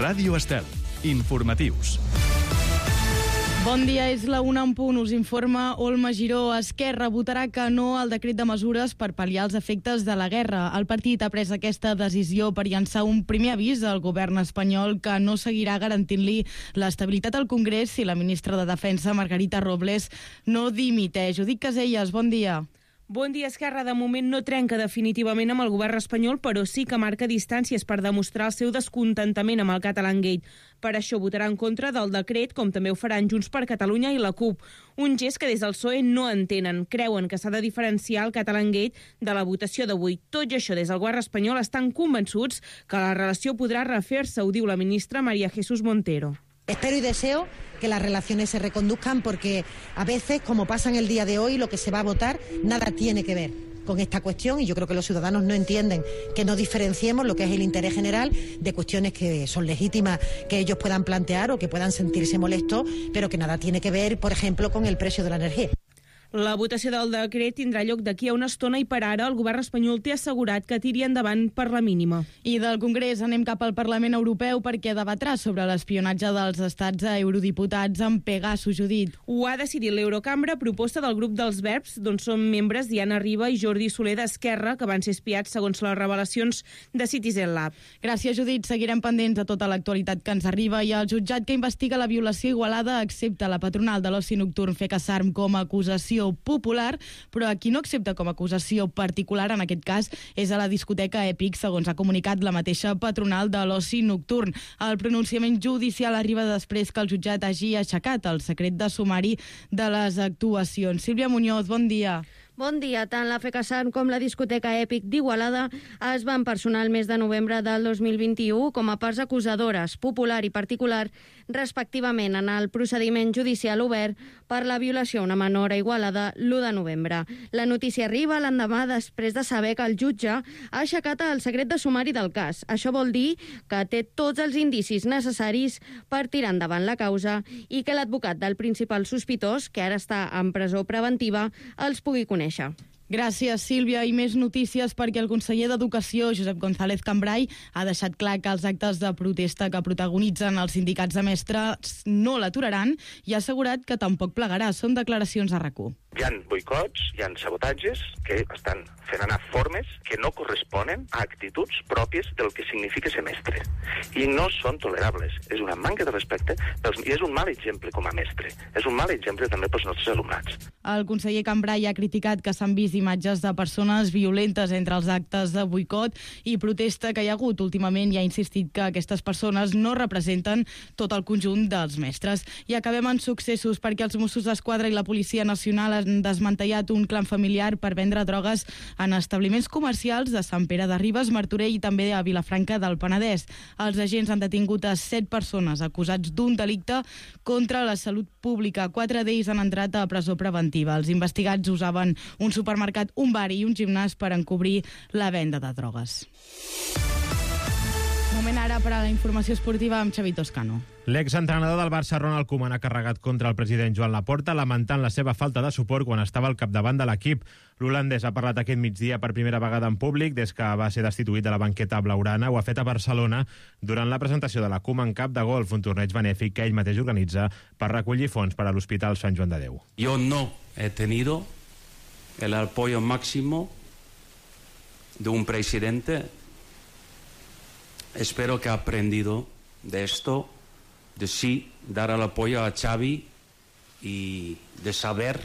Ràdio Estel. Informatius. Bon dia, és la 1:00, us informa Olma Giró. Esquerra votarà que no al decret de mesures per pal·liar els efectes de la guerra. El partit ha pres aquesta decisió per llançar un primer avís al govern espanyol que no seguirà garantint-li l'estabilitat al Congrés si la ministra de Defensa, Margarita Robles, no dimiteix. Judit Caselles, bon dia. Bon dia, Esquerra. De moment no trenca definitivament amb el govern espanyol, però sí que marca distàncies per demostrar el seu descontentament amb el Catalangate. Per això votarà en contra del decret, com també ho faran Junts per Catalunya i la CUP. Un gest que des del PSOE no entenen. Creuen que s'ha de diferenciar el Catalangate de la votació d'avui. Tot i això, des del govern espanyol estan convençuts que la relació podrà refer-se, ho diu la ministra María Jesús Montero. Espero y deseo que las relaciones se reconduzcan porque a veces, como pasa en el día de hoy, lo que se va a votar nada tiene que ver con esta cuestión y yo creo que los ciudadanos no entienden que no diferenciemos lo que es el interés general de cuestiones que son legítimas que ellos puedan plantear o que puedan sentirse molestos, pero que nada tiene que ver, por ejemplo, con el precio de la energía. La votació del decret tindrà lloc d'aquí a una estona i per ara el govern espanyol té assegurat que tiri endavant per la mínima. I del Congrés anem cap al Parlament Europeu perquè debatrà sobre l'espionatge dels estats a eurodiputats amb Pegasus, Judit. Ho ha decidit l'Eurocambra a proposta del grup dels Verbs, d'on són membres Diana Riba i Jordi Soler d'Esquerra, que van ser espiats segons les revelacions de Citizen Lab. Gràcies, Judit. Seguirem pendents de tota l'actualitat que ens arriba i el jutjat que investiga la violació a Igualada accepta la patronal de l'oci nocturn FECASARM com a acusació popular, però a qui no accepta com a acusació particular en aquest cas és a la discoteca Èpic, segons ha comunicat la mateixa patronal de l'oci nocturn. El pronunciament judicial arriba després que el jutjat hagi aixecat el secret de sumari de les actuacions. Sílvia Muñoz, bon dia. Bon dia. Tant la FECASARM com la discoteca Èpic d'Igualada es van personar el mes de novembre del 2021 com a parts acusadores, popular i particular, respectivament en el procediment judicial obert per la violació a una menor a Igualada l'1 de novembre. La notícia arriba l'endemà després de saber que el jutge ha aixecat el secret de sumari del cas. Això vol dir que té tots els indicis necessaris per tirar endavant la causa i que l'advocat del principal sospitós, que ara està en presó preventiva, els pugui conèixer. Gràcies, Sílvia. I més notícies perquè el conseller d'Educació, Josep González Cambray, ha deixat clar que els actes de protesta que protagonitzen els sindicats de mestres no l'aturaran i ha assegurat que tampoc plegarà. Són declaracions a RAC1. Hi ha boicots, hi ha sabotatges que estan fent anar formes que no corresponen a actituds pròpies del que significa ser mestre. I no són tolerables. És una manca de respecte i és un mal exemple com a mestre. És un mal exemple també pels nostres alumnats. El conseller Cambray ha criticat que s'han vist imatges de persones violentes entre els actes de boicot i protesta que hi ha hagut últimament i ha insistit que aquestes persones no representen tot el conjunt dels mestres. I acabem en successos perquè els Mossos d'Esquadra i la Policia Nacional han desmantellat un clan familiar per vendre drogues en establiments comercials de Sant Pere de Ribes, Martorell i també a Vilafranca del Penedès. Els agents han detingut a 7 persones acusats d'un delicte contra la salut pública. 4 d'ells han entrat a presó preventiva. Els investigats usaven un supermercat, un bar i un gimnàs per encobrir la venda de drogues. Moment ara per a la informació esportiva amb Xavi Toscano. L'exentrenador del Barça, Ronald Koeman, ha carregat contra el president Joan Laporta, lamentant la seva falta de suport quan estava al capdavant de l'equip. L'holandès ha parlat aquest migdia per primera vegada en públic des que va ser destituït de la banqueta blaugrana. Ho ha fet a Barcelona durant la presentació de la Koeman Cup de golf, un torneig benèfic que ell mateix organitza per recollir fons per a l'Hospital Sant Joan de Déu. Yo no he tenido el apoyo máximo de un presidente. Espero que ha aprendido de esto, de sí dar el apoyo a Xavi y de saber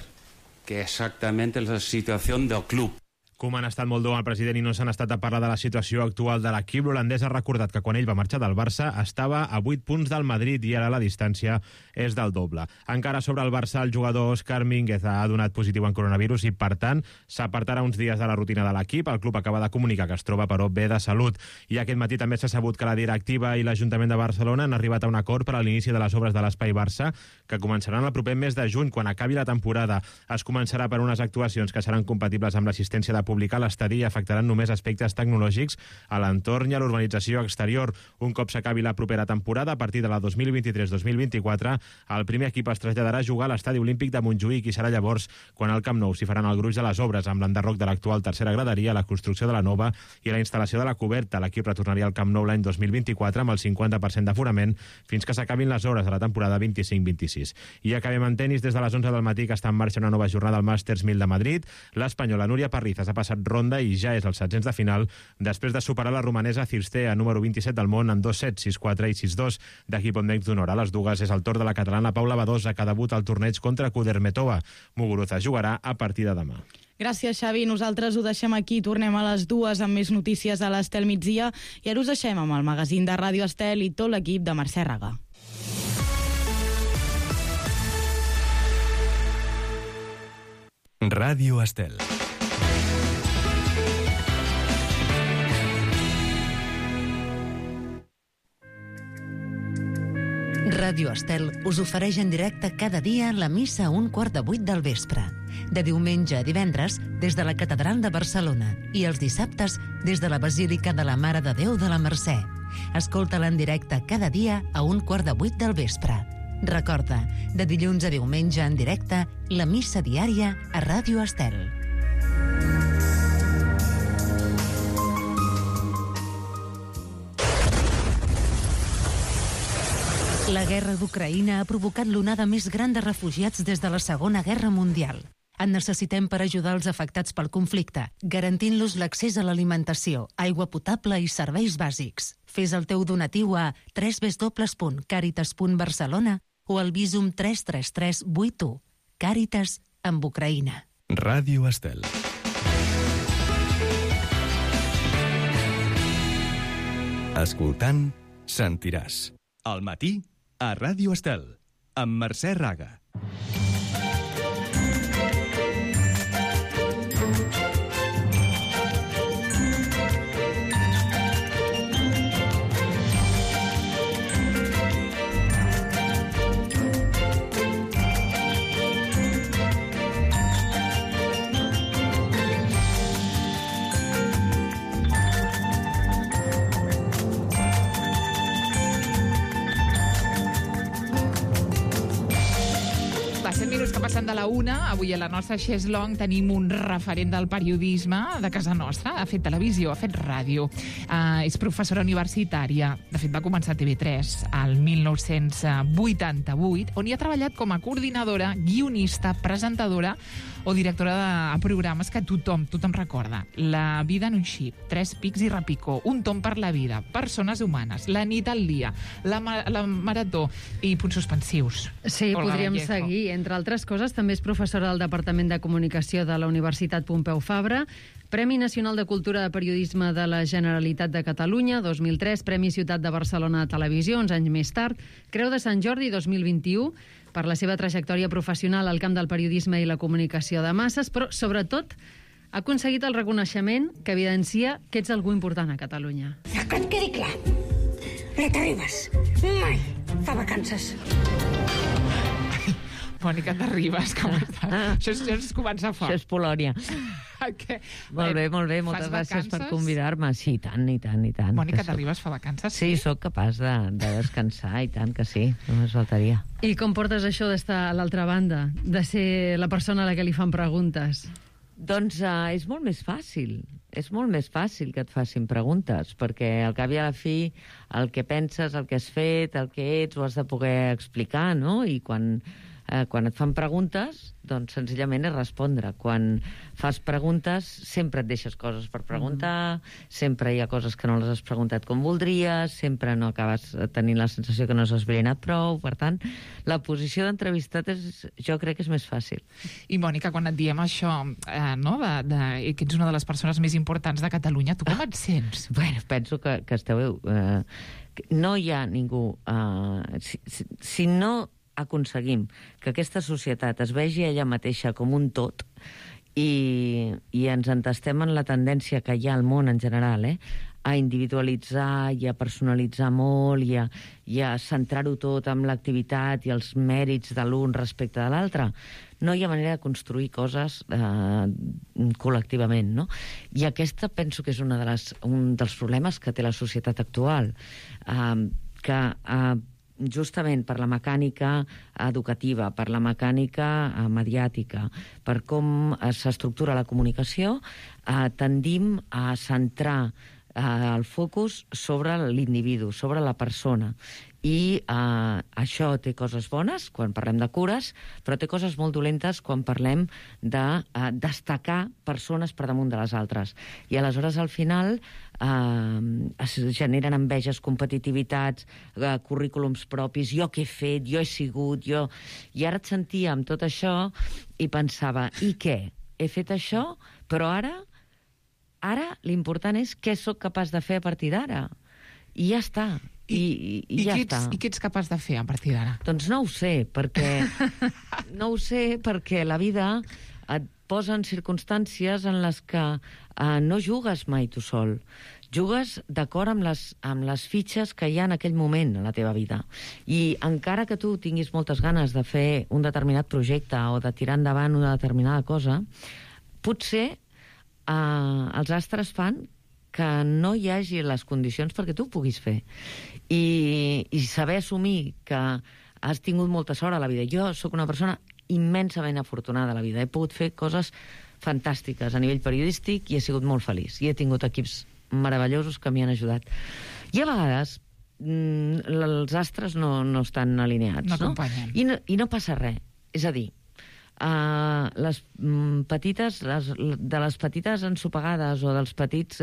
que exactamente es la situación del club. Koeman ha estat molt dur amb el president i no s'han estat a parlar de la situació actual de l'equip. L'holandès ha recordat que quan ell va marxar del Barça estava a 8 punts del Madrid i ara la distància és del doble. Encara sobre el Barça, el jugador Óscar Mínguez ha donat positiu en coronavirus i, per tant, s'apartarà uns dies de la rutina de l'equip. El club acaba de comunicar que es troba, però, bé de salut. I aquest matí també s'ha sabut que la directiva i l'Ajuntament de Barcelona han arribat a un acord per a l'inici de les obres de l'Espai Barça, que començaran el proper mes de juny, quan acabi la temporada. Es començarà per unes actuacions que seran compatibles amb l'assistència de republicà l'estadi afectaran només aspectes tecnològics a l'entorn i a l'urbanització exterior. Un cop s'acabi la propera temporada, a partir de la 2023-2024, el primer equip es traslladarà a jugar a l'estadi olímpic de Montjuïc i serà llavors quan al Camp Nou s'hi faran el gruix de les obres amb l'enderroc de l'actual tercera graderia, la construcció de la nova i la instal·lació de la coberta. L'equip retornaria al Camp Nou l'any 2024 amb el 50% d'aforament fins que s'acabin les obres de la temporada 25-26. I acabem en tenis des de les 11 del matí, que està en marxa una nova jornada al Masters 1000 de Madrid. L'espanyola Núria Parrizas ha passat ronda i ja és als setzents de final després de superar la romanesa Cirstea, número 27 del món, en 2-7, 6-4 i 6-2 d'equip on d'honor. A les dues és el torn de la catalana Paula Badosa, que debut al torneig contra Kudermetova. Muguruza jugarà a partir de demà. Gràcies, Xavi. Nosaltres ho deixem aquí. Tornem a les 2 amb més notícies a l'Estel migdia i ara us deixem amb el magazín de Ràdio Estel i tot l'equip de Mercè Raga. Ràdio Estel. Ràdio Estel us ofereix en directe cada dia la missa a 7:15 del vespre. De diumenge a divendres, des de la Catedral de Barcelona, i els dissabtes, des de la Basílica de la Mare de Déu de la Mercè. Escolta-la en directe cada dia a 7:15 del vespre. Recorda, de dilluns a diumenge en directe, la missa diària a Ràdio Estel. La guerra d'Ucraïna ha provocat l'onada més gran de refugiats des de la Segona Guerra Mundial. En necessitem per ajudar els afectats pel conflicte, garantint-los l'accés a l'alimentació, aigua potable i serveis bàsics. Fes el teu donatiu a www.caritas.barcelona o al Visum 33381. Càritas amb Ucraïna. Ràdio Estel. Escoltant, sentiràs. Al matí, a Ràdio Estel, amb Mercè Raga. Minuts que passen de la 1, avui a la nostra Xeslong tenim un referent del periodisme de casa nostra. Ha fet televisió, ha fet ràdio, és professora universitària. De fet, va començar a TV3 al 1988, on hi ha treballat com a coordinadora, guionista, presentadora o directora de programes que tothom recorda. La vida en un xip, 3 pics i repicó, Un tom per la vida, Persones humanes, La nit al dia, la marató i punts suspensius. Sí, Olga podríem Vallejo. Seguir. Entre altres coses, també és professora del Departament de Comunicació de la Universitat Pompeu Fabra, Premi Nacional de Cultura de Periodisme de la Generalitat de Catalunya, 2003, Premi Ciutat de Barcelona de Televisió, 11 anys més tard, Creu de Sant Jordi, 2021, per la seva trajectòria professional al camp del periodisme i la comunicació de masses, però, sobretot, ha aconseguit el reconeixement que evidencia que ets algú important a Catalunya. Que et quedi clar, la Terribas mai fa vacances. Mònica Terribas, com està? Això és començar fort. Això és Polònia. Molt bé, moltes gràcies per convidar-me. Sí, i tant. Mònica Terribas fa vacances? Sí, sóc capaç de descansar, i tant que sí, només faltaria. I com portes això d'estar a l'altra banda, de ser la persona a la que li fan preguntes? Doncs és molt més fàcil. És molt més fàcil que et facin preguntes, perquè al cap i a la fi el que penses, el que has fet, el que ets, ho has de poder explicar, no? I quan et fan preguntes, doncs senzillament és respondre. Quan fas preguntes, sempre et deixes coses per preguntar, sempre hi ha coses que no les has preguntat com voldries, sempre no acabes tenint la sensació que no has esbrinat prou. Per tant, la posició d'entrevistat jo crec que és més fàcil. I, Mònica, quan et diem això, que ets una de les persones més importants de Catalunya, tu com et sents? Bueno, penso que esteu... no hi ha ningú... Si no aconseguim que aquesta societat es vegi ella mateixa com un tot i ens entestem en la tendència que hi ha al món en general, a individualitzar i a personalitzar molt i a centrar-ho tot en l'activitat i els mèrits de l'un respecte de l'altre, no hi ha manera de construir coses col·lectivament, no? I aquesta penso que és un dels problemes que té la societat actual, que justament per la mecànica educativa, per la mecànica mediàtica, per com s'estructura la comunicació, tendim a centrar el focus sobre l'individu, sobre la persona. I això té coses bones quan parlem de cures, però té coses molt dolentes quan parlem de destacar persones per damunt de les altres. I aleshores, al final, es generen enveges, competitivitats, currículums propis, jo què he fet, jo he sigut, jo... I ara et sentia amb tot això i pensava, i què? He fet això, però ara l'important és què sóc capaç de fer a partir d'ara. I ja està. I ja està. I què ets capaç de fer a partir d'ara? Doncs no ho sé, perquè la vida et posa en circumstàncies en les que no jugues mai tu sol. Jugues d'acord amb les fitxes que hi ha en aquell moment a la teva vida. I encara que tu tinguis moltes ganes de fer un determinat projecte o de tirar endavant una determinada cosa, potser els astres fan que no hi hagi les condicions perquè tu ho puguis fer. I saber assumir que has tingut molta sort a la vida. Jo sóc una persona immensament afortunada a la vida. He pogut fer coses fantàstiques a nivell periodístic i he sigut molt feliç. I he tingut equips meravellosos que m'hi han ajudat. I a vegades els astres no estan alineats. No acompanyen. I no passa res. És a dir, les petites ensopegades o dels petits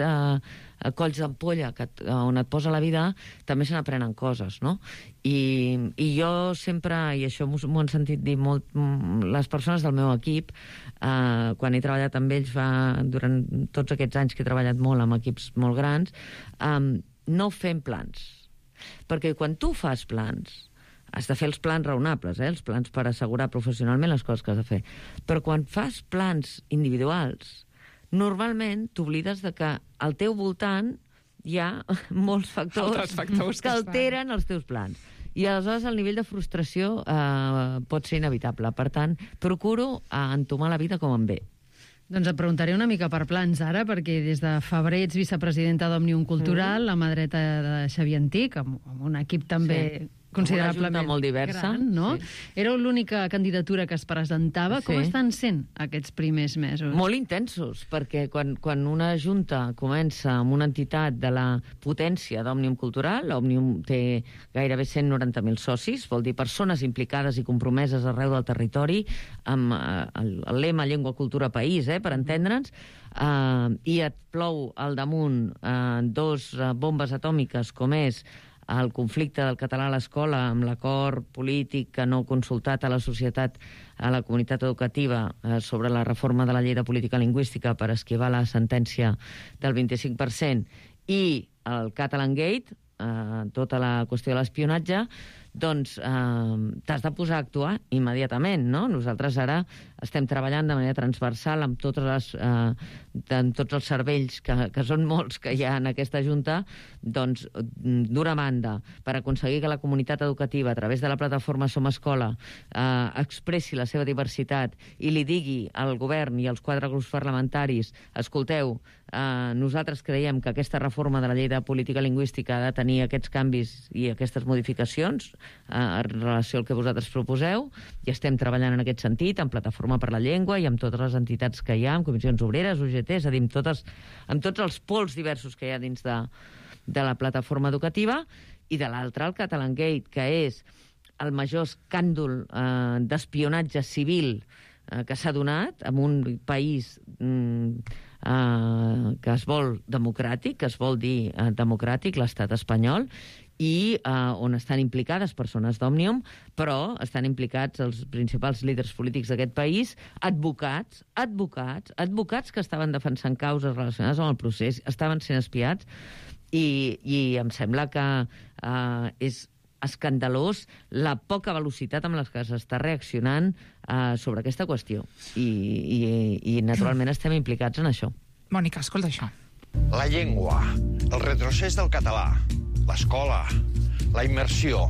colls d'ampolla on et posa la vida també se n'aprenen coses, no? I jo sempre, i això m'ho han sentit dir molt les persones del meu equip, quan he treballat amb ells durant tots aquests anys que he treballat molt amb equips molt grans, no fem plans, perquè quan tu fas plans has de fer els plans raonables, els plans per assegurar professionalment les coses que has de fer. Però quan fas plans individuals, normalment t'oblides de que al teu voltant hi ha molts factors que alteren els teus plans. I aleshores el nivell de frustració pot ser inevitable. Per tant, procuro entomar la vida com em ve. Doncs et preguntaré una mica per plans ara, perquè des de febrer ets vicepresidenta d'Òmnium Cultural, la mà dreta de Xavier Antich, amb un equip també considerablement molt diversa, gran, no? Sí. Éreu l'única candidatura que es presentava. Com estan sent aquests primers mesos? Molt intensos, perquè quan una junta comença amb una entitat de la potència d'Òmnium Cultural, Òmnium té gairebé 190.000 socis, vol dir persones implicades i compromeses arreu del territori, amb el lema Llengua, Cultura, País, per entendre'ns, i et plou al damunt dos bombes atòmiques com és el conflicte del català a l'escola amb l'acord polític que no ha consultat a la societat, a la comunitat educativa sobre la reforma de la llei de política lingüística per esquivar la sentència del 25% i el Catalan Gate, tota la qüestió de l'espionatge, doncs t'has de posar a actuar immediatament, no? Nosaltres ara estem treballant de manera transversal amb tots els cervells, que són molts que hi ha en aquesta Junta, doncs, d'una banda, per aconseguir que la comunitat educativa, a través de la plataforma Som Escola, expressi la seva diversitat i li digui al govern i als 4 grups parlamentaris, escolteu, nosaltres creiem que aquesta reforma de la llei de política lingüística ha de tenir aquests canvis i aquestes modificacions en relació al que vosaltres proposeu, i estem treballant en aquest sentit, amb Plataforma per la Llengua i amb totes les entitats que hi ha, amb comissions obreres, UGT, és a dir, amb tots els pols diversos que hi ha dins de la plataforma educativa, i de l'altra, el Catalan Gate, que és el major escàndol d'espionatge civil que s'ha donat en un país que es vol democràtic, que es vol dir democràtic, l'estat espanyol, i on estan implicades persones d'Òmnium, però estan implicats els principals líders polítics d'aquest país, advocats que estaven defensant causes relacionades amb el procés, estaven sent espiats, i em sembla que és escandalós la poca velocitat amb la que s'està reaccionant sobre aquesta qüestió. I naturalment estem implicats en això. Mònica, escolta això. La llengua, el retrocés del català, l'escola, la immersió,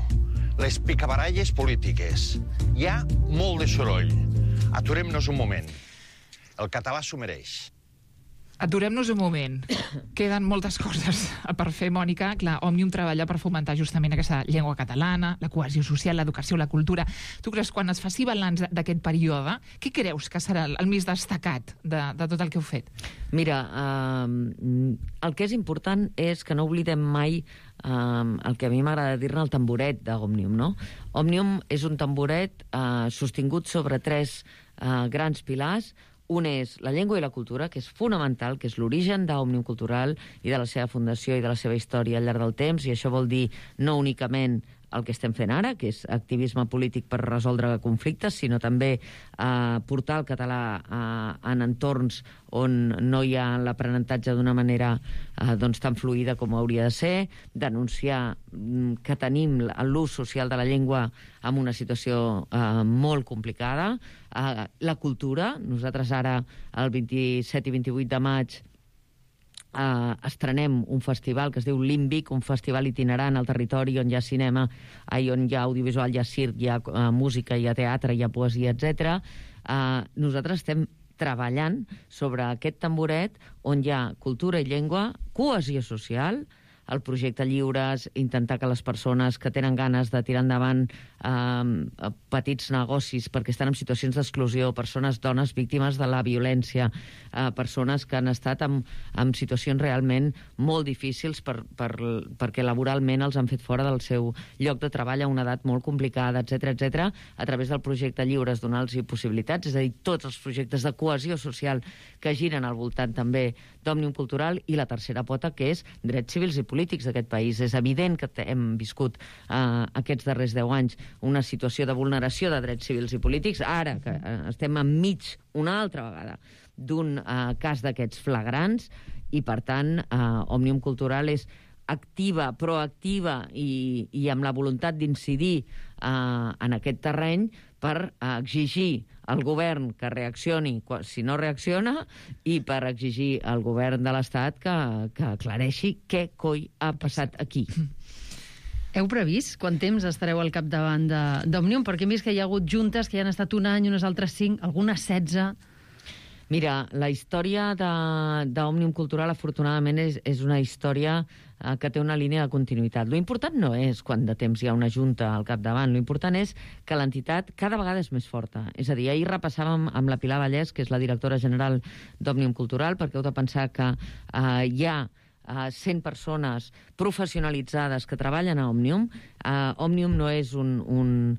les picabaralles polítiques. Hi ha molt de soroll. Aturem-nos un moment. El català s'ho mereix. Aturem-nos un moment. Queden moltes coses per fer, Mònica. Clar, Òmnium treballa per fomentar justament aquesta llengua catalana, la cohesió social, l'educació, la cultura. Tu creus, quan es faci balanç d'aquest període, què creus que serà el més destacat de tot el que heu fet? Mira, el que és important és que no oblidem mai el que a mi m'agrada dir-ne el tamboret d'Òmnium, no? Òmnium és un tamboret sostingut sobre 3 grans pilars. Un és la llengua i la cultura, que és fonamental, que és l'origen d'Òmnium Cultural i de la seva fundació i de la seva història al llarg del temps, i això vol dir no únicament el que estem fent ara, que és activisme polític per resoldre conflictes, sinó també portar el català en entorns on no hi ha l'aprenentatge d'una manera tan fluida com hauria de ser, denunciar que tenim l'ús social de la llengua en una situació molt complicada. La cultura, nosaltres ara el 27 i 28 de maig estrenem un festival que es diu Límbic, un festival itinerant al territori on hi ha cinema, on hi ha audiovisual, hi ha circ, hi ha música, hi ha teatre, hi ha poesia, etc. Nosaltres estem treballant sobre aquest tamboret on hi ha cultura i llengua, cohesió social, el projecte Lliures, intentar que les persones que tenen ganes de tirar endavant petits negocis perquè estan en situacions d'exclusió, persones, dones víctimes de la violència, persones que han estat en situacions realment molt difícils perquè laboralment els han fet fora del seu lloc de treball a una edat molt complicada, etc. A través del projecte Lliures donar-los possibilitats, és a dir, tots els projectes de cohesió social que giren al voltant també d'Òmnium Cultural, i la tercera pota, que és drets civils i polítics d'aquest país. És evident que hem viscut aquests darrers 10 anys una situació de vulneració de drets civils i polítics. Ara que estem enmig, una altra vegada, d'un cas d'aquests flagrants, i per tant Òmnium Cultural és activa, proactiva i amb la voluntat d'incidir en aquest terreny per exigir al govern que reaccioni si no reacciona, i per exigir al govern de l'Estat que aclareixi què coi ha passat aquí. Heu previst quant temps estareu al capdavant d'Òmnium? Perquè hem vist que hi ha hagut juntes que hi han estat un any, unes altres 5, algunes 16... Mira, la història d'Òmnium Cultural, afortunadament, és una història que té una línia de continuïtat. Lo important no és quant de temps hi ha una junta al capdavant, lo important és que l'entitat cada vegada és més forta. És a dir, ahir repassàvem amb la Pilar Vallès, que és la directora general d'Òmnium Cultural, perquè heu de pensar que hi ha 100 persones professionalitzades que treballen a Òmnium. Òmnium no és una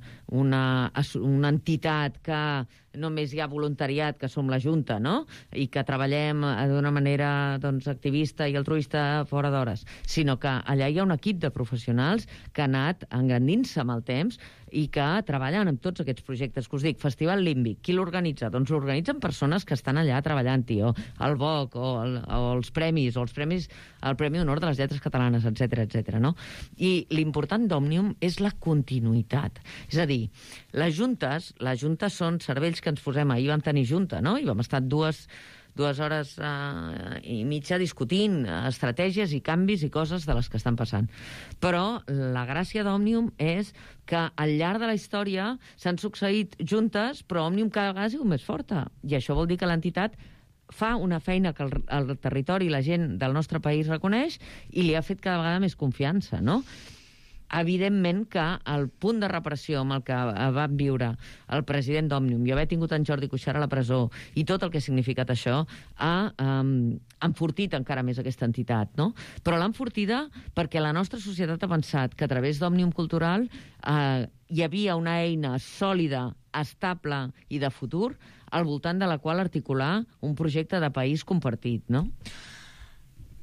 entitat que només hi ha voluntariat, que som la Junta, no? I que treballem d'una manera activista i altruista fora d'hores, sinó que allà hi ha un equip de professionals que ha anat engrandint-se amb el temps i que treballen amb tots aquests projectes que us dic. Festival Límbic, qui l'organitza? Doncs l'organitzen persones que estan allà treballant-hi, o el BOC, o els premis, el Premi d'Honor de les Lletres Catalanes, etc. No? I l'important d'Òmnium és la continuïtat. És a dir, les juntes són cervells que ens posem. Ahir vam tenir junta, no? I vam estar dues hores i mitja discutint estratègies i canvis i coses de les que estan passant. Però la gràcia d'Òmnium és que al llarg de la història s'han succeït juntes, però Òmnium cada vegada ha sigut més forta. I això vol dir que l'entitat fa una feina que el territori i la gent del nostre país reconeix i li ha fet cada vegada més confiança, no? Evidentment que el punt de repressió amb el que va viure el president d'Òmnium i haver tingut en Jordi Cuixart a la presó i tot el que ha significat això ha enfortit encara més aquesta entitat, no? Però l'ha enfortida perquè la nostra societat ha pensat que a través d'Òmnium Cultural hi havia una eina sòlida, estable i de futur al voltant de la qual articular un projecte de país compartit, no?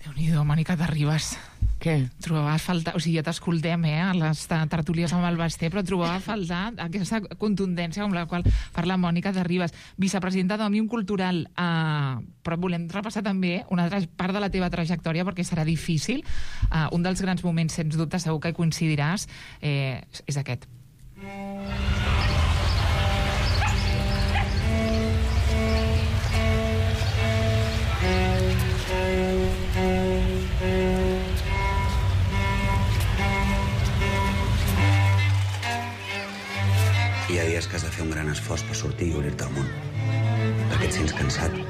Déu-n'hi-do, Mònica Terribas. Què? Trobava a faltar... O sigui, ja t'escoltem, a les tertúlies amb el Basté, però trobava a faltar aquesta contundència amb la qual parla Mònica Terribas, vicepresidenta d'Òmnium Cultural. Però volem repassar també una altra part de la teva trajectòria, perquè serà difícil. Un dels grans moments, sens dubte, segur que hi coincidiràs, és aquest. Hi ha dies és que has de fer un gran esforç per sortir i obrir-te al món. Perquè et sents cansat i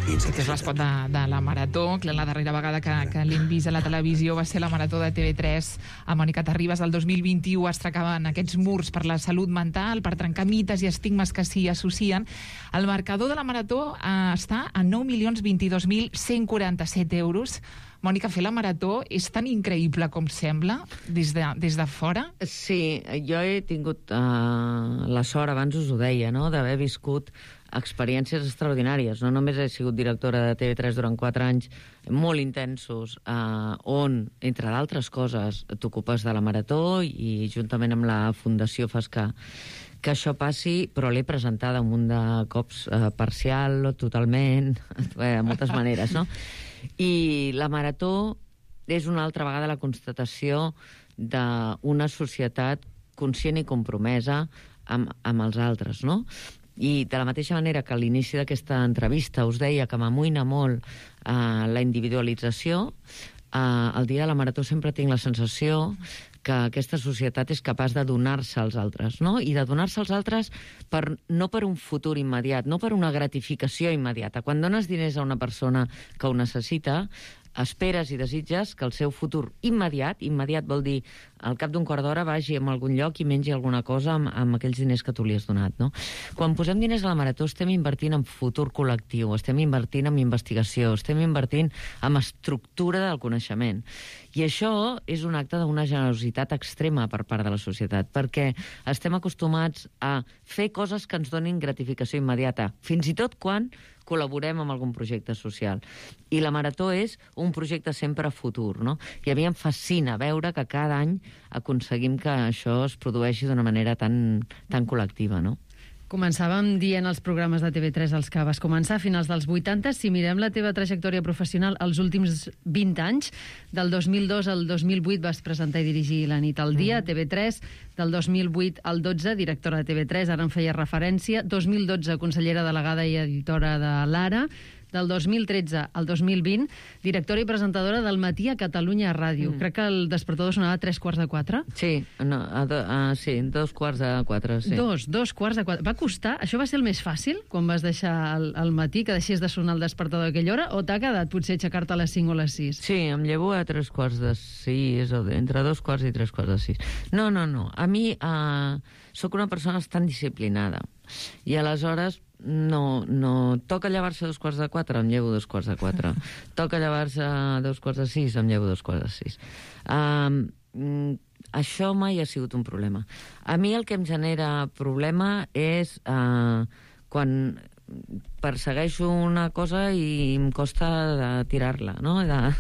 Aquest és insatisfet. l'espot de la Marató. Clar, la darrera vegada que l'hem vist a la televisió va ser la Marató de TV3 a Mònica Terribas. El 2021 es trencaven aquests murs per la salut mental, per trencar mites i estigmes que s'hi associen. El marcador de la Marató està a 9.022.147 euros. Mònica, fer la Marató és tan increïble com sembla des de fora? Sí, jo he tingut la sort, abans us ho deia, no?, d'haver viscut experiències extraordinàries. No només he sigut directora de TV3 durant 4 anys molt intensos, on, entre d'altres coses, t'ocupes de la Marató i juntament amb la Fundació fas que això passi, però l'he presentada un munt de cops parcial o totalment, de moltes maneres, no? I la Marató és una altra vegada la constatació d'una societat conscient i compromesa amb els altres, no? I de la mateixa manera que a l'inici d'aquesta entrevista us deia que m'amoïna molt la individualització, el dia de la Marató sempre tinc la sensació que aquesta societat és capaç de donar-se als altres, no? I de donar-se als altres no per un futur immediat, no per una gratificació immediata. Quan dones diners a una persona que ho necessita, esperes i desitges que el seu futur immediat vol dir al cap d'un quart d'hora vagi a algun lloc i mengi alguna cosa amb aquells diners que tu li has donat, no? Quan posem diners a la Marató estem invertint en futur col·lectiu, estem invertint en investigació, estem invertint en estructura del coneixement. I això és un acte d'una generositat extrema per part de la societat, perquè estem acostumats a fer coses que ens donin gratificació immediata, fins i tot quan col·laborem amb algun projecte social. I la Marató és un projecte sempre futur, no? I a mi em fascina veure que cada any aconseguim que això es produeixi d'una manera tan col·lectiva, no? Començàvem dient els programes de TV3 als que vas començar a finals dels 80. Si mirem la teva trajectòria professional els últims 20 anys, del 2002 al 2008 vas presentar i dirigir La nit al dia a TV3, del 2008 al 12 directora de TV3, ara en feia referència, 2012 consellera delegada i editora de l'Ara, del 2013 al 2020, directora i presentadora del Matí a Catalunya Ràdio. Crec que el despertador sonava a 3:45. Sí, sí, 2:45, sí. 2:45. Va costar? Això va ser el més fàcil, quan vas deixar el Matí, que deixés de sonar el despertador a aquella hora, o t'ha quedat potser aixecar-te a les 5 o les 6? Sí, em llevo a 3:45, o entre 2:15 i 3:45. No. A mi sóc una persona bastant disciplinada. I aleshores no toca llevar-se a 3:45, em llevo a 2:45. Toca llevar-se a 2:45, em llevo a 2:45. Això mai ha sigut un problema. A mi el que em genera problema és quan persegueixo una cosa i em costa de tirar-la, no? de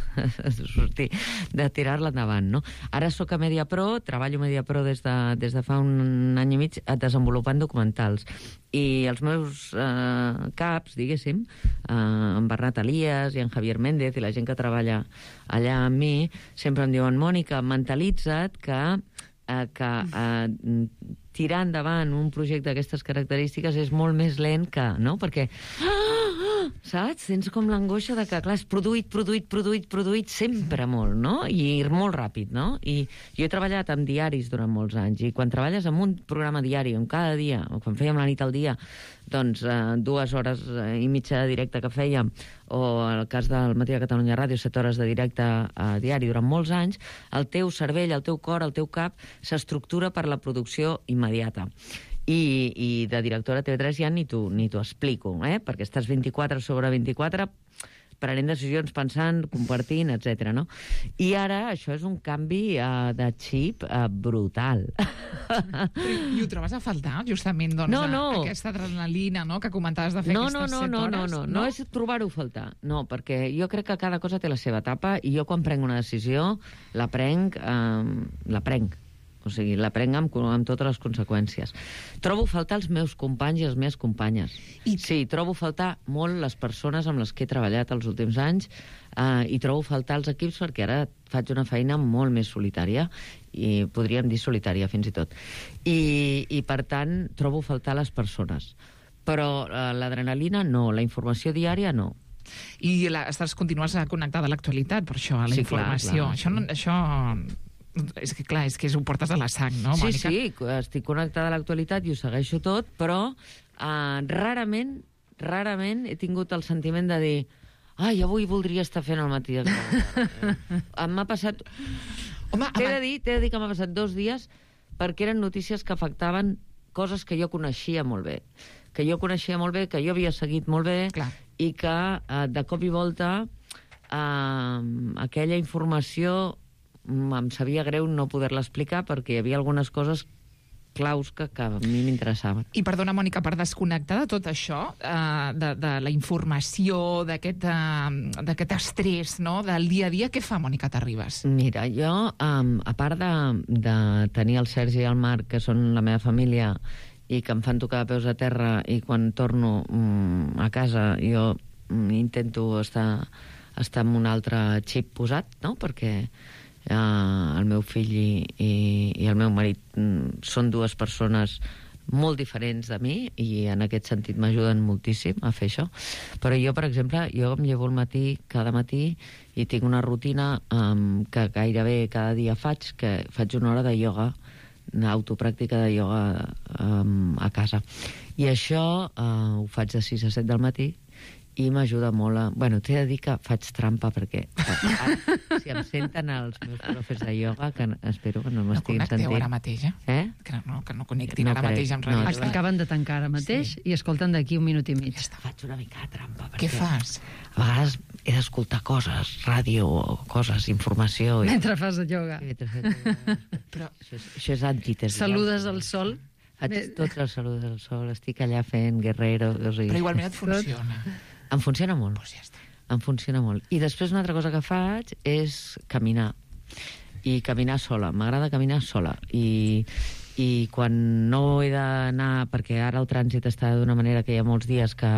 tirar-la endavant, no? Ara sóc a Mediapro, treballo a Mediapro des de fa un any i mig desenvolupant documentals. I els meus caps, diguéssim, en Bernat Elias i en Javier Méndez i la gent que treballa allà amb mi, sempre em diuen: Mònica, mentalitza't que tirar endavant un projecte d'aquestes característiques és molt més lent que... no? Perquè, saps? Tens com l'angoixa de que, clar, és produït sempre molt, no? I molt ràpid, no? I jo he treballat amb diaris durant molts anys, i quan treballes amb un programa diari, on cada dia, o quan fèiem La nit al dia, doncs 2 hores i mitja de directe que fèiem, o en el cas del Matí de Catalunya Ràdio, 7 hores de directe a diari durant molts anys, el teu cervell, el teu cor, el teu cap s'estructura per la producció immediata. I de directora a TV3 ja ni t'ho explico, perquè estàs 24/24 prenent decisions, pensant, compartint, etc. no? I ara això és un canvi de xip brutal. I ho trobes a faltar, justament, doncs, aquesta adrenalina, no?, que comentaves de fer aquestes 7 hores? No és trobar-ho a faltar. No, perquè jo crec que cada cosa té la seva etapa, i jo quan prenc una decisió la prenc. O sigui, la prenc amb totes les conseqüències. Trobo a faltar els meus companys i les meves companyes. Sí, trobo a faltar molt les persones amb les que he treballat els últims anys, i trobo a faltar els equips, perquè ara faig una feina molt més solitària, i podríem dir solitària fins i tot. I per tant, trobo a faltar les persones. Però l'adrenalina no, la informació diària no. I continues connectada a l'actualitat, per això, a la informació. Clar. Això És que, clar, és que ho portes a la sang, no, Mònica? Sí, estic connectada a l'actualitat i ho segueixo tot, però rarament he tingut el sentiment de dir ai, avui voldria estar fent el matí de m'ha passat... Home, t'he de dir que m'ha passat 2 dies perquè eren notícies que afectaven coses que jo coneixia molt bé. Que jo havia seguit molt bé. Clar. I que de cop i volta aquella informació em sabia greu no poder-la explicar perquè hi havia algunes coses claus que a mi m'interessaven. I perdona, Mònica, per desconnectar de tot això, de la informació, d'aquest estrès, no?, del dia a dia, què fa Mònica Terribas? Mira, jo, a part de tenir el Sergi i el Marc, que són la meva família, i que em fan tocar de peus a terra, i quan torno a casa jo intento estar amb un altre xip posat, no?, perquè el meu fill i el meu marit són 2 persones molt diferents de mi i en aquest sentit m'ajuden moltíssim a fer això. Però jo, per exemple, em llevo al matí, cada matí, i tinc una rutina que gairebé cada dia faig 1 hora de ioga, una autopràctica de ioga a casa. I això ho faig de 6 a 7 del matí i m'ajuda molt a... Bueno, t'he de dir que faig trampa perquè si em senten els meus profes de ioga, que espero que no m'estiguin sentint... No connecteu ara mateix, Que no connectin ara mateix amb ràdio. Es acaben de tancar ara mateix i escolten d'aquí 1 minut i mig. Faig una mica de trampa. Què fas? A vegades he d'escoltar coses, ràdio o coses, informació... Mentre fas ioga. Però això és antítesi. Saludes al sol. Faig tots els saludes al sol, estic allà fent guerrero... Però igualment et funciona. Em funciona molt. Pues ja està. Em funciona molt. I després una altra cosa que faig és caminar. I caminar sola. M'agrada caminar sola. I quan no he d'anar... Perquè ara el trànsit està d'una manera que hi ha molts dies que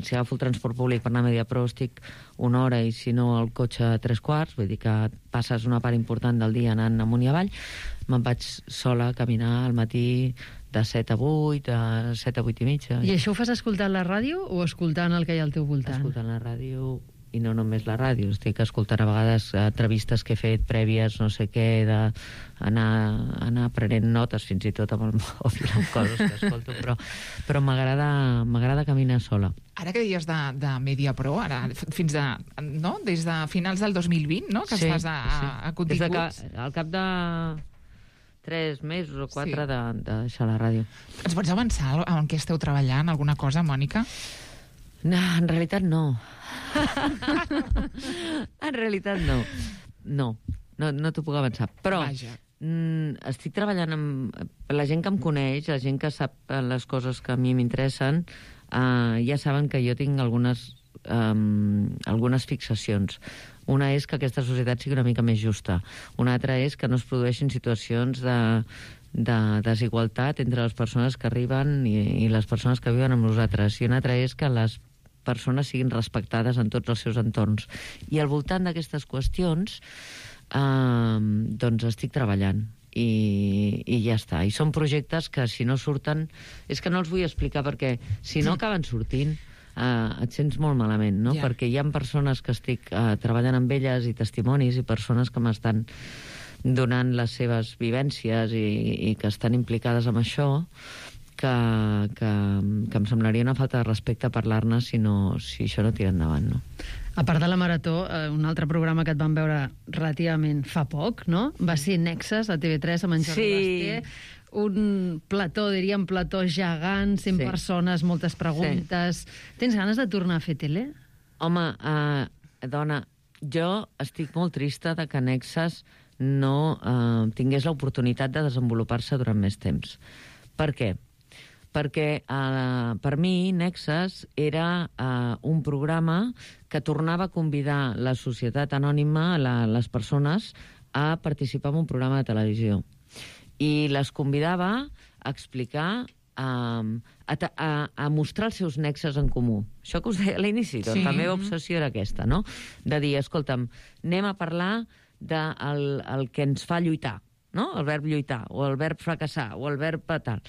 si agafo el transport públic per anar a Mediapro estic 1 hora i si no el cotxe 3/4, vull dir que passes una part important del dia anant amunt i avall, me'n vaig sola a caminar al matí de 7 a 8, de 7 a 8 i mitja. I això ho fas escoltant la ràdio o escoltant el que hi ha al teu voltant? Escoltant la ràdio, i no només la ràdio, estic escoltant a vegades entrevistes que he fet prèvies, no sé què, d'anar prenent notes fins i tot amb el mòbil, amb coses que escolto, però m'agrada caminar sola. Ara que deies de Mediapro, ara fins des de finals del 2020, no?, que estàs a continguts. Al cap de 3 mesos o 4 de deixar la ràdio. Ens pots avançar en què esteu treballant? Alguna cosa, Mònica? No, en realitat no. En realitat no. No t'ho puc avançar. Però estic treballant amb la gent que em coneix, la gent que sap les coses que a mi m'interessen, ja saben que jo tinc algunes fixacions. Una és que aquesta societat sigui una mica més justa. Una altra és que no es produeixin situacions de desigualtat entre les persones que arriben i les persones que viuen amb nosaltres. I una altra és que les persones siguin respectades en tots els seus entorns. I al voltant d'aquestes qüestions doncs estic treballant. I ja està. I són projectes que si no surten... És que no els vull explicar perquè si no acaben sortint et sents molt malament, no? Perquè hi ha persones que estic treballant amb elles i testimonis i persones que m'estan donant les seves vivències i que estan implicades en això que em semblaria una falta de respecte parlar-ne si això no tira endavant, no? A part de la Marató, un altre programa que et vam veure relativament fa poc, no? Va ser Nexes, a TV3, amb en Jordi Basté. Un plató, diríem, plató gegant, 100 persones, moltes preguntes. Tens ganes de tornar a fer tele? Home, dona, jo estic molt trista de que Nexes no tingués l'oportunitat de desenvolupar-se durant més temps. Per què? Perquè per mi Nexes era un programa que tornava a convidar la societat anònima, les persones, a participar en un programa de televisió. I les convidava a explicar, a mostrar els seus nexes en comú. Això que us deia a l'inici, doncs la meva obsessió era aquesta, no? De dir, escolta'm, anem a parlar del que ens fa lluitar, no? El verb lluitar, o el verb fracassar, o el verb tal.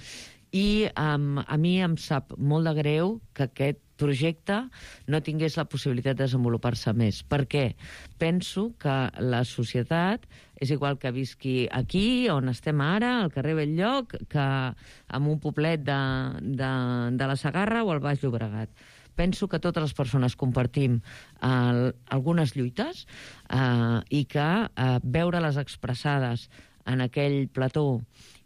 I a mi em sap molt de greu que aquest projecte no tingués la possibilitat de desenvolupar-se més. Per què? Penso que la societat, és igual que visqui aquí, on estem ara, al carrer Belllloc, que en un poblet de la Segarra o al Baix Llobregat. Penso que totes les persones compartim algunes lluites i que veure-les expressades en aquell plató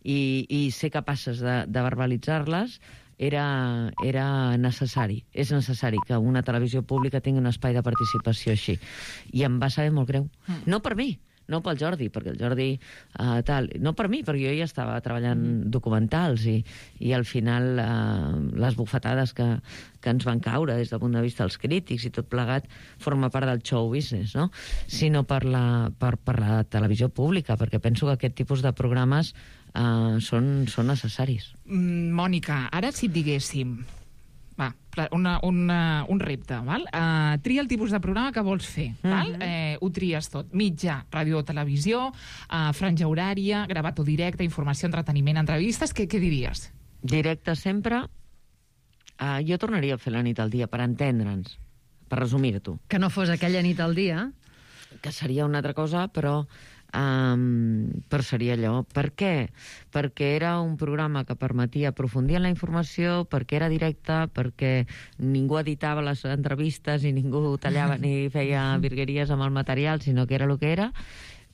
i ser capaces de verbalitzar-les era necessari. És necessari que una televisió pública tingui un espai de participació així. I em va saber molt greu. No per mi, no pel Jordi, perquè el Jordi no per mi, perquè jo ja estava treballant documentals i al final les bufetades que ens van caure des del punt de vista dels crítics i tot plegat forma part del show business, no? Sinó per la televisió pública, perquè penso que aquest tipus de programes són necessaris. Mònica, ara si et diguéssim un repte, val? Tria el tipus de programa que vols fer, val? Ho tries tot, mitjà, ràdio o televisió, franja horària, gravat o directe, informació, entreteniment, entrevistes, què diries? Directe sempre. Jo tornaria a fer la nit al dia, per entendre'ns, per resumir-t'ho. Que no fos aquella nit al dia? Que seria una altra cosa, però seria allò. Per què? Perquè era un programa que permetia aprofundir en la informació, perquè era directe, perquè ningú editava les entrevistes i ningú tallava ni feia virgueries amb el material, sinó que era el que era,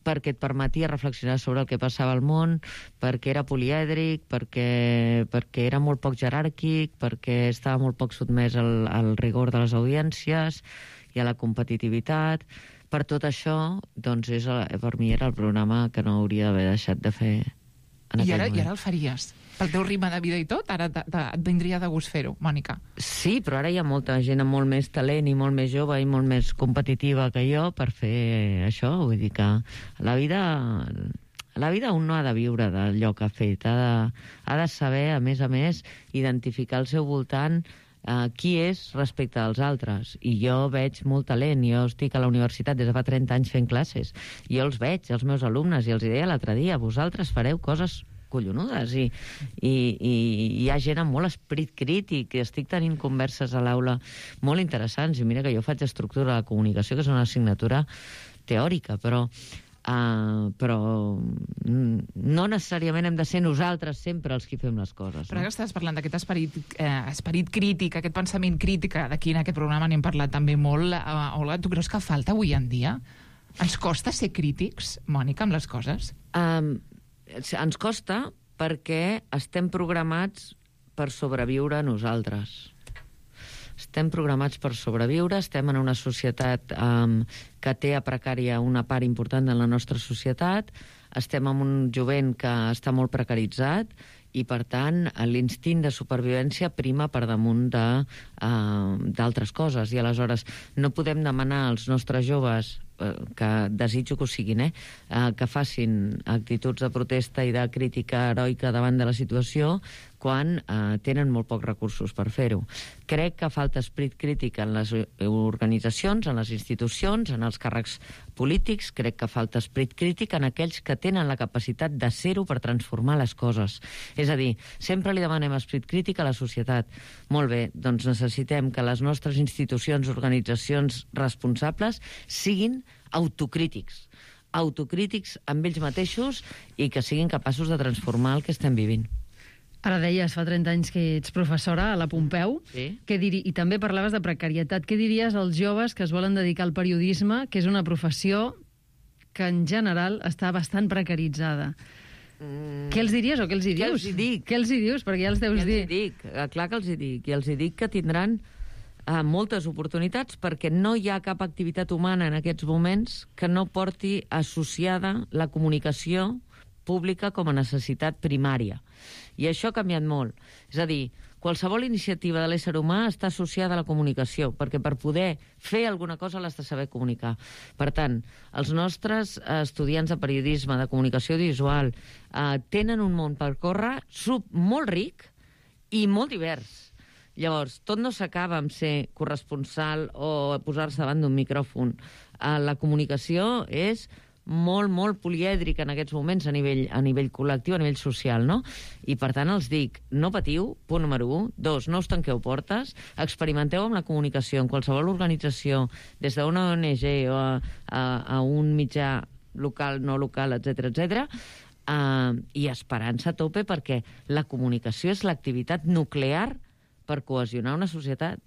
perquè et permetia reflexionar sobre el que passava al món, perquè era polièdric, perquè era molt poc jeràrquic, perquè estava molt poc sotmès al rigor de les audiències i a la competitivitat. Per tot això, doncs, per mi era el programa que no hauria d'haver deixat de fer en aquell moment. I ara el faries? Pel teu ritme de vida i tot, ara et vindria de gust fer-ho, Mònica? Sí, però ara hi ha molta gent amb molt més talent i molt més jove i molt més competitiva que jo per fer això. Vull dir que la vida un no ha de viure d'allò que ha fet. Ha de saber, a més, identificar al seu voltant qui és respecte als altres. I jo veig molt talent. Jo estic a la universitat des de fa 30 anys fent classes. Jo els veig, els meus alumnes, i els deia l'altre dia, vosaltres fareu coses collonudes i hi ha gent amb molt esperit crític. Estic tenint converses a l'aula molt interessants i mira que jo faig estructura de la comunicació, que és una assignatura teòrica, però no necessàriament hem de ser nosaltres sempre els que fem les coses. Però ara estàs parlant d'aquest esperit crític, aquest pensament crític, d'aquí en aquest programa n'hem parlat també molt. Olga, tu creus que falta avui en dia? Ens costa ser crítics, Mònica, amb les coses? Ens costa perquè estem programats per sobreviure nosaltres. Estem programats per sobreviure, estem en una societat que té a precària una part important de la nostra societat, estem en un jovent que està molt precaritzat i, per tant, l'instint de supervivència prima per damunt d'altres coses. I aleshores no podem demanar als nostres joves, que desitjo que ho siguin, que facin actituds de protesta i de crítica heroica davant de la situació quan tenen molt pocs recursos per fer-ho. Crec que falta esperit crític en les organitzacions, en les institucions, en els càrrecs polítics. Crec que falta esperit crític en aquells que tenen la capacitat de ser-ho per transformar les coses. És a dir, sempre li demanem esperit crític a la societat. Molt bé, doncs necessitem que les nostres institucions, organitzacions responsables siguin autocrítics amb ells mateixos i que siguin capaços de transformar el que estem vivint. Ara deies, fa 30 anys que ets professora a la Pompeu, sí. I també parlaves de precarietat. Què diries als joves que es volen dedicar al periodisme, que és una professió que en general està bastant precaritzada? Què els diries o què els hi dius? Què els hi dic? Què els hi dius? Perquè ja els deus dir. Què els hi dic? Clar que els hi dic. I els hi dic que tindran moltes oportunitats perquè no hi ha cap activitat humana en aquests moments que no porti associada la comunicació pública com a necessitat primària. I això ha canviat molt. És a dir, qualsevol iniciativa de l'ésser humà està associada a la comunicació, perquè per poder fer alguna cosa l'has de saber comunicar. Per tant, els nostres estudiants de periodisme, de comunicació audiovisual, tenen un món per córrer molt ric i molt divers. Llavors, tot no s'acaba amb ser corresponsal o posar-se davant d'un micròfon. La comunicació és molt, molt polièdric en aquests moments a nivell col·lectiu, a nivell social, no? I per tant els dic, no patiu, punt número 1, 2, no us tanqueu portes, experimenteu amb la comunicació en qualsevol organització, des d'una ONG o a un mitjà local, no local, etc., i esperança a tope, perquè la comunicació és l'activitat nuclear per cohesionar una societat.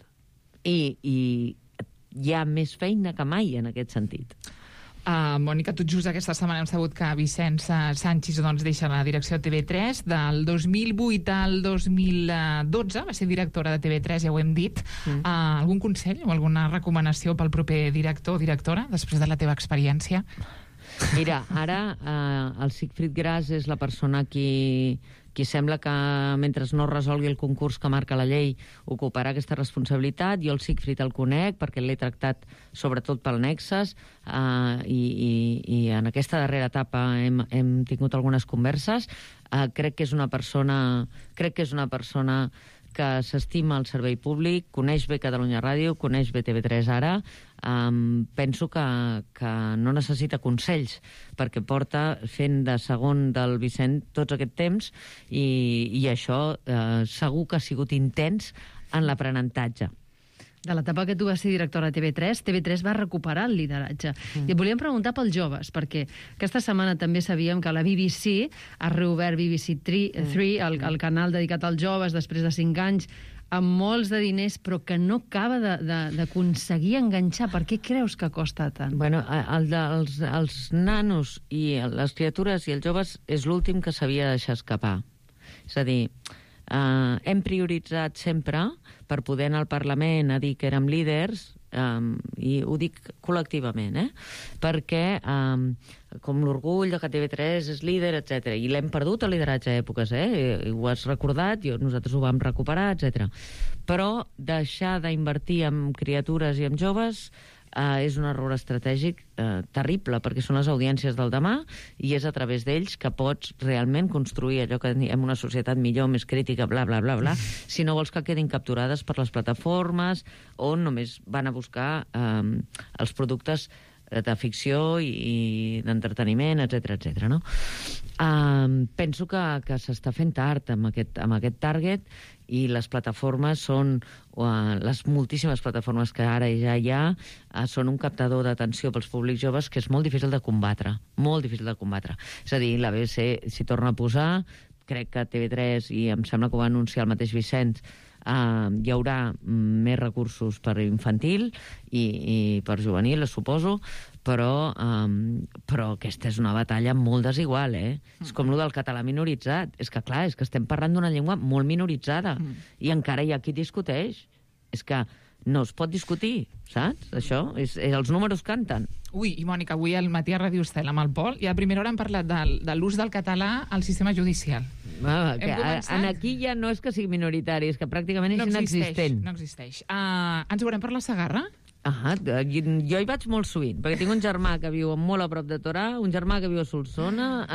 I hi ha més feina que mai en aquest sentit. Mònica, tot just aquesta setmana hem sabut que Vicenç Sanchis deixa la direcció de TV3. Del 2008 al 2012 va ser directora de TV3, ja ho hem dit. Algun consell o alguna recomanació pel proper director o directora, després de la teva experiència? Mira, ara el Sigfrid Gras és la persona qui sembla que, mentre no resolgui el concurs que marca la llei, ocuparà aquesta responsabilitat. Jo el Sigfrid el conec perquè l'he tractat sobretot pel Nexes i en aquesta darrera etapa hem tingut algunes converses. Crec que és una persona que s'estima el servei públic, coneix bé Catalunya Ràdio, coneix bé TV3 ara. Penso que no necessita consells, perquè porta fent de segon del Vicent tots aquest temps i això segur que ha sigut intens en l'aprenentatge. De l'etapa que tu vas ser directora de TV3 va recuperar el lideratge. I et volíem preguntar pels joves, perquè aquesta setmana també sabíem que la BBC ha reobert BBC 3, el canal dedicat als joves, després de 5 anys, amb molts de diners, però que no acaba d'aconseguir enganxar. Per què creus que costa tant? Bueno, els nanos i les criatures i els joves és l'últim que s'havia de deixar escapar. És a dir, hem prioritzat sempre per poder anar al Parlament a dir que érem líders, i ho dic col·lectivament, perquè com l'orgull de que TV3 és líder, etc. I l'hem perdut el lideratge a èpoques, ho has recordat, nosaltres ho vam recuperar, etc. Però deixar d'invertir en criatures i en joves és un error estratègic terrible, perquè són les audiències del demà i és a través d'ells que pots realment construir allò que diem una societat millor, més crítica, bla, bla, bla, bla, si no vols que quedin capturades per les plataformes on només van a buscar els productes de ficció i d'entreteniment, etc. No? Penso que s'està fent tard amb aquest target, i les plataformes són, les moltíssimes plataformes que ara ja hi ha, són un captador d'atenció pels públics joves que és molt difícil de combatre, molt difícil de combatre. És a dir, la BBC s'hi torna a posar, crec que TV3, i em sembla que ho va anunciar el mateix Vicenç, hi haurà més recursos per infantil i per juvenil, suposo, però aquesta és una batalla molt desigual, És com el del català minoritzat. És que, clar, és que estem parlant d'una llengua molt minoritzada i encara hi ha qui discuteix. És que no es pot discutir, saps? Això, els números canten. Ui, i Mònica, avui al matí a Ràdio Estel amb el Pol, i a primera hora hem parlat de l'ús del català al sistema judicial. Aquí ja no és que sigui minoritari, és que pràcticament és inexistent. No existeix. Ens veurem per la Segarra? Jo hi vaig molt sovint, perquè tinc un germà que viu molt a prop de Torà, un germà que viu a Solsona,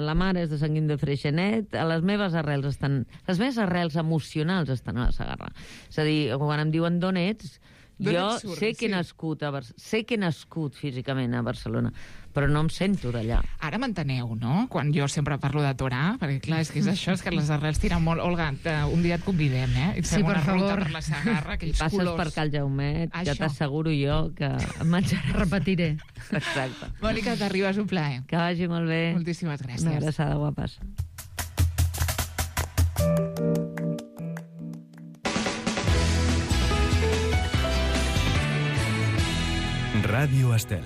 la mare és de Sant Guim de Freixenet, les meves arrels emocionals estan a la Segarra. És a dir, quan em diuen d'on ets, jo sé que he nascut físicament a Barcelona, però no em sento d'allà. Ara m'enteneu, no? Quan jo sempre parlo de Torà, perquè clar, és que és això, és que les arrels tiren molt. Olga, un dia et convidem, I et fem una ruta per la Segarra, aquells colors. Passes per Cal Jaumet, ja t'asseguro jo que em menjaràs. Repetiré. Exacte. Mònica, t'arribes, un plaer. Que vagi molt bé. Moltíssimes gràcies. Una abraçada, guapes. Ràdio Estel.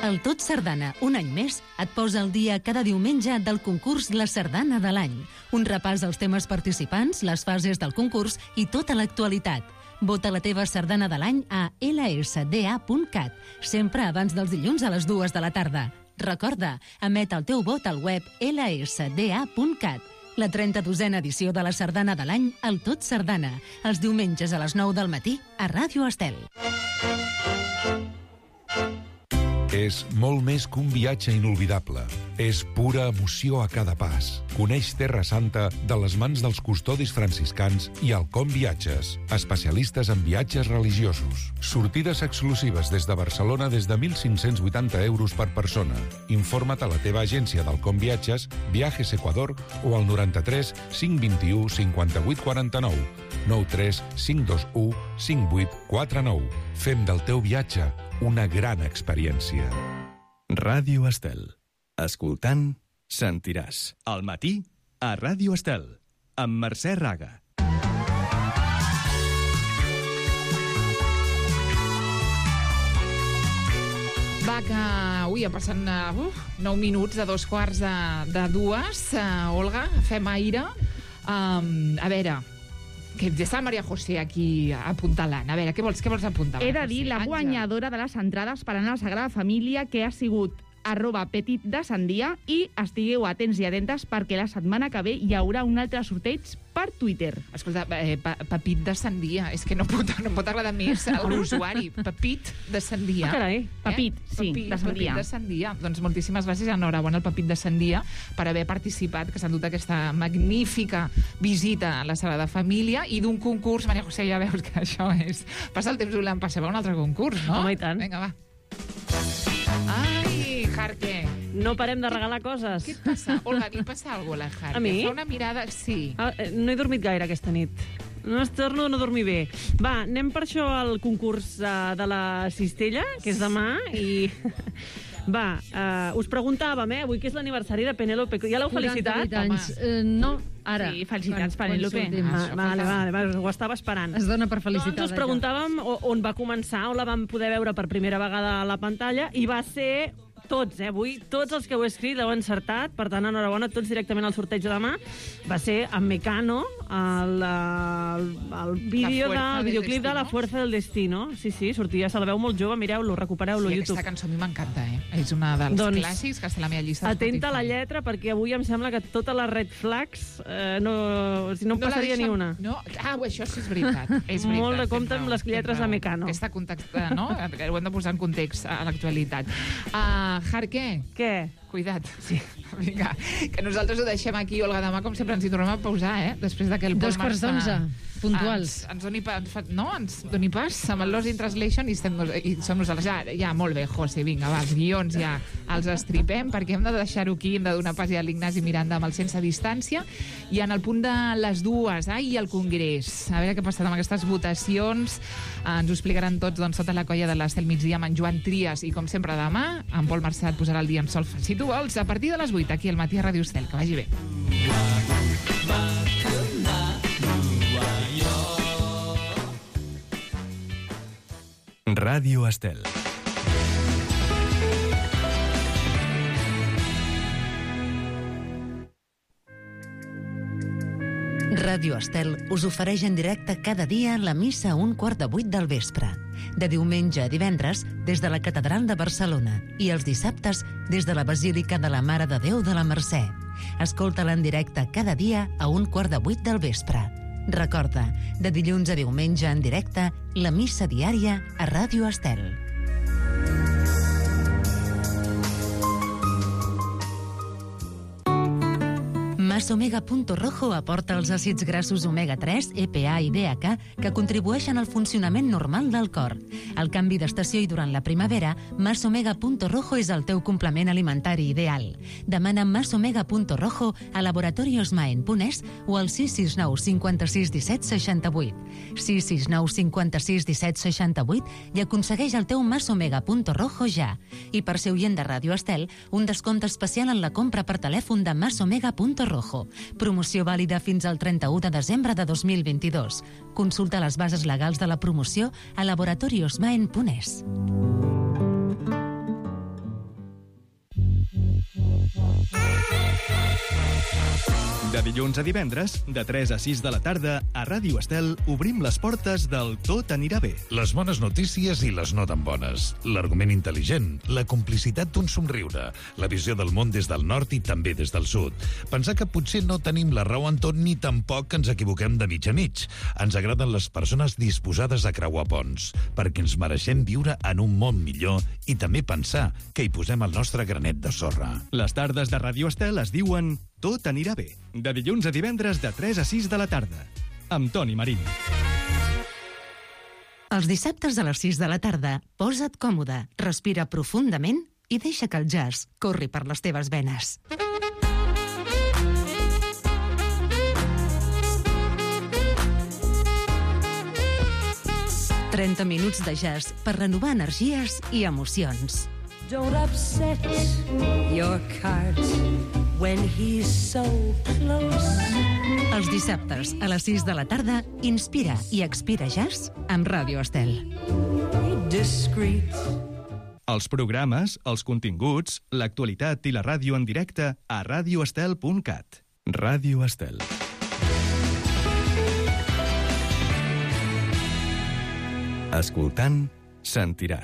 El Tot Sardana, un any més, et posa al dia cada diumenge del concurs La Sardana de l'any. Un repàs als temes participants, les fases del concurs i tota l'actualitat. Vota la teva sardana de l'any a lsda.cat, sempre abans dels dilluns a les 2 de la tarda. Recorda, emet el teu vot al web lsda.cat. La 32a edició de la Sardana de l'any, el Tot Sardana, els diumenges a les 9 del matí a Ràdio Estel. És molt més que un viatge inolvidable. És pura emoció a cada pas. Coneix Terra Santa de les mans dels custodis franciscans i Alcom Viatges, especialistes en viatges religiosos. Sortides exclusives des de Barcelona des de 1.580 euros per persona. Informa't a la teva agència d'Alcom Viatges, Viajes Ecuador o al 93 521 58 49, 93 521 58 49. Fem del teu viatge una gran experiència. Ràdio Estel. Escoltant, sentiràs. Al matí, a Ràdio Estel, amb Mercè Raga. Va, que avui ha passat 9 minuts de 2:15. Olga, fem aire. A veure, que està la Maria José aquí apuntalant. A veure, què vols apuntar? He de dir la guanyadora de les entrades per anar a la Sagrada Família, que ha sigut @petitdesandia, i estigueu atents i atentes perquè la setmana que ve hi haurà un altre sorteig per Twitter. Escolta, Pepit de Sandia, és que no pot agradar més a l'usuari. Pepit de Sandia. Carai, Pepit, sí, de Sandia. Pepit de Sandia. Doncs moltíssimes gràcies, enhorabona al Pepit de Sandia per haver participat, que s'ha dut aquesta magnífica visita a la Sagrada Família i d'un concurs. Maria José, ja veus que això és... Passa el temps volant, passava un altre concurs, no? Home, i tant. Vinga, va. Ai, Jarque. No parem de regalar coses. Què et passa? Olga, li passa alguna cosa a la Jarque? A mi? Fa una mirada... Sí. No he dormit gaire aquesta nit. No torno a no dormir bé. Va, anem per això al concurs de la Cistella, que és demà, i... Va, us preguntàvem, avui que és l'aniversari de Penélope. Ja l'heu felicitat? 48 anys. No, ara. Sí, felicitats, Penélope. Vale, ho estava esperant. Es dona per felicitar. Doncs us preguntàvem on va començar, on la vam poder veure per primera vegada a la pantalla, i va ser... Tots, avui, tots els que heu escrit l'heu encertat, per tant, enhorabona, tots directament al sorteig de demà. Va ser amb Mecano, el videoclip de La Fuerza del Destino. Sí, sortia, se la veu molt jove, mireu-lo, recupereu-lo a YouTube. Aquesta cançó a mi m'encanta, És una dels clàssics que està a la meva llista. Atenta a la lletra, perquè avui em sembla que totes les red flags no passaria ni una. No? Això sí és veritat. Molt de compte amb les lletres de Mecano. Aquesta context, no? Que ho hem de posar en context a l'actualitat. Jarque. Què? Cuida't. Sí. Vinga, que nosaltres ho deixem aquí, Olga, demà, com sempre, ens hi tornem a pausar, després que el Pol Marçà... 2:11, puntuals. Ens doni pas amb el Lost in Translation i som nosaltres. Ja, molt bé, José, vinga, va, els guions ja els estripem, perquè hem de deixar-ho aquí, hem de donar pas ja a l'Ignasi Miranda amb el Sense Distància, i en el punt de les 2, i el Congrés. A veure què ha passat amb aquestes votacions. Ens ho explicaran tots sota la colla de l'Estel Migdia amb en Joan Trias, i com sempre demà, en Pol Marçà et posarà el dia amb sol, si tu vols, a partir de les 8, aquí al matí a Ràdio Estel. Que vagi bé. Ràdio Estel. Ràdio Estel us ofereix en directe cada dia la missa a 7:15 del vespre. De diumenge a divendres, des de la Catedral de Barcelona, i els dissabtes, des de la Basílica de la Mare de Déu de la Mercè. Escolta-la en directe cada dia a 7:15 del vespre. Recorda, de dilluns a diumenge en directe, la missa diària a Ràdio Estel. Masomega.rojo aporta els àcids grassos omega-3, EPA i DHA que contribueixen al funcionament normal del cor. Al canvi d'estació i durant la primavera, Masomega.rojo és el teu complement alimentari ideal. Demana Masomega.rojo a laboratoriosmaen.es o al 669 56 17 68. 669 56 17 68 i aconsegueix el teu Masomega.rojo ja. I per ser oient de Ràdio Estel, un descompte especial en la compra per telèfon de Masomega.rojo. Promoció vàlida fins al 31 de desembre de 2022. Consulta les bases legals de la promoció a laboratoriosmaen.es. De dilluns a divendres, de 3 a 6 de la tarda, a Ràdio Estel obrim les portes del Tot anirà bé. Les bones notícies i les no tan bones. L'argument intel·ligent, la complicitat d'un somriure, la visió del món des del nord i també des del sud. Pensar que potser no tenim la raó en tot ni tampoc ens equivoquem de mig a mig. Ens agraden les persones disposades a creuar ponts, perquè ens mereixem viure en un món millor i també pensar que hi posem el nostre granet de sorra. Les tardes de Ràdio Estel es diuen Tot anirà bé. De dilluns a divendres de 3 a 6 de la tarda. Amb Toni Marín. Els dissabtes a les 6 de la tarda, posa't còmode, respira profundament i deixa que el jazz corri per les teves venes. «30 minuts de jazz per renovar energies i emocions». Don't upset your cart when he's so close. Els dissabtes a les 6 de la tarda, inspira i expira jazz amb Ràdio Estel. Discreet. Els programes, els continguts, l'actualitat i la ràdio en directe a radioestel.cat. Ràdio Estel. Escoltant, sentiràs.